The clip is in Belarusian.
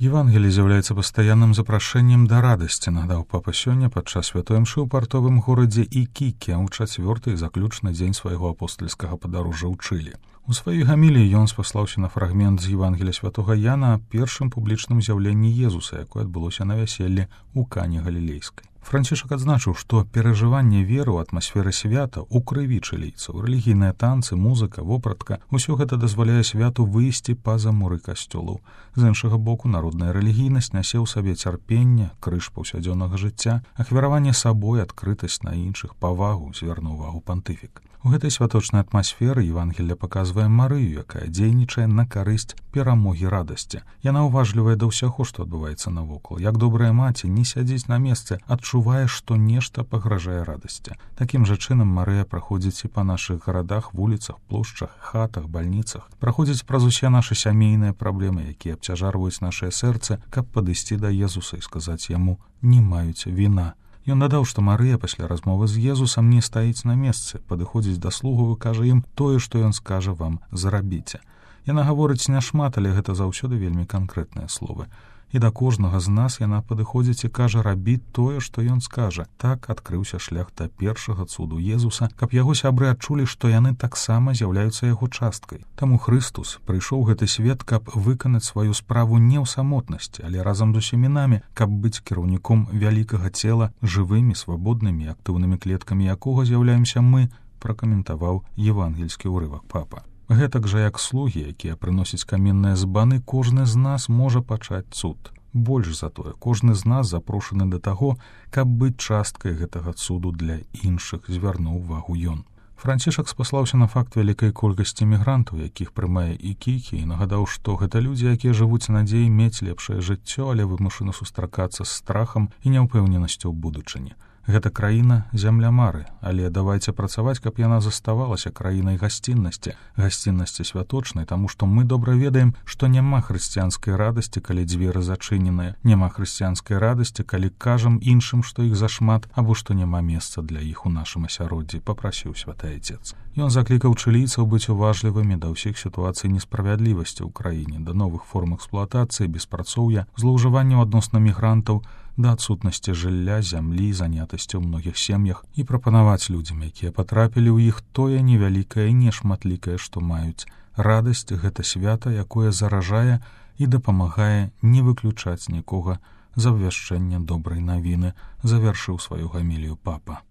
Евангелие з'яўляецца пастаянным запрашэннем да радасці, нагадаў папа сёння падчас святой імшы ў партовым горадзе Ікіке ў чацвёрты і заключны дзень свайго апостальскага падарожжа ў Чылі. У сваёй гаміліі ён спаслаўся на фрагмент з Евангелія святога Яна аб першым публічным з'яўленні Езуса, якое адбылося на вяселлі ў Кані Галілейскай. Францішак адзначыў, што перажыванне веры ў атмасферы свята ў крыві чылійцаў, рэлігійныя танцы, музыка, вопратка — усё гэта дазваляе святу выйсці па-за муры касцёлаў. З іншага боку, народная рэлігійнасць нясе ў сабе цярпенне, крыж паўсядзённага жыцця, ахвяраванне сабой, адкрытасць на іншых, павагу, звярнуў увагу пантыфік. У гэтай святочнай атмасферы Евангелие паказвае Марыю, якая дзейнічае на карысць перамогі радасці. Яна уважлівая да ўсяго, што адбываецца навокал. Як добрая маці не сядзіць на месцы, адчувае, што нешта пагражае радасці. Такім жа чынам Марыя праходзіць і па нашых гарадах, вуліцах, плошчах, хатах, бальніцах, праходзіць праз усе нашы сямейныя праблемы, якія абцяжарваюць нашае сэрцы, каб падысці да Езуса і сказаць яму: «Не маюць віна». Ён дадаў, што Марыя пасля размовы з Езусам не стаіць на месцы, падыходзіць да слугаў і кажа ім тое, што ён скажа вам: «Зрабіце». Яна гаворыць няшмат, але гэта заўсёды вельмі канкрэтныя словы. І да кожнага з нас яна падыходзіць і кажа: «Рабі тое, што ён скажа». Так адкрыўся шлях да першага цуду Езуса, каб яго сябры адчулі, што яны таксама з'яўляюцца яго часткай. Таму Хрыстус прыйшоў у гэты свет, каб выканаць сваю справу не ў самотнасці, але разам з усімі намі, каб быць кіраўніком вялікага цела, жывымі, свабоднымі, актыўнымі клеткамі якога з'яўляемся мы, пракаментаваў евангельскі ўрывак папа. Гэтак жа, як слугі, якія прыносяць каменныя збаны, кожны з нас можа пачаць цуд. Больш за тое, кожны з нас запрошаны да таго, каб быць часткай гэтага цуду для іншых, звярнуў увагу ён. Францішак спаслаўся на факт вялікай колькасці мігрантаў, якіх прымае Ікікі, і нагадаў, што гэта людзі, якія жывуць надзеяй мець лепшае жыццё, але вымушаны сустракацца з страхам і няўпэўненасцю ў будучыні. Гэта краіна — зямля мары, але давайце працаваць, каб яна заставалася краінай гасціннасці, гасціннасці святочнай, таму што мы добра ведаем, што няма хрысціянскай радасці, калі дзверы зачыненыя, няма хрысціянскай радасці, калі кажам іншым, што іх зашмат, або што няма месца для іх у нашым асяроддзі, папрасіў святы Айцец. Ён заклікаў чылійцаў быць уважлівымі да ўсіх сітуацый несправядлівасці ў краіне, да новых форм эксплуатацыі, беспрацоўя, злоўжыванняў адносна мігрантаў, да адсутнасці жылля, зямлі, занятасці ў многіх сем'ях і прапанаваць людзям, якія патрапілі ў іх, тое невялікае і нешматлікае, што маюць. Радасць — гэта свята, якое заражае і дапамагае не выключаць нікога з абвяшчэння добрай навіны, завяршыў сваю гамілію папа.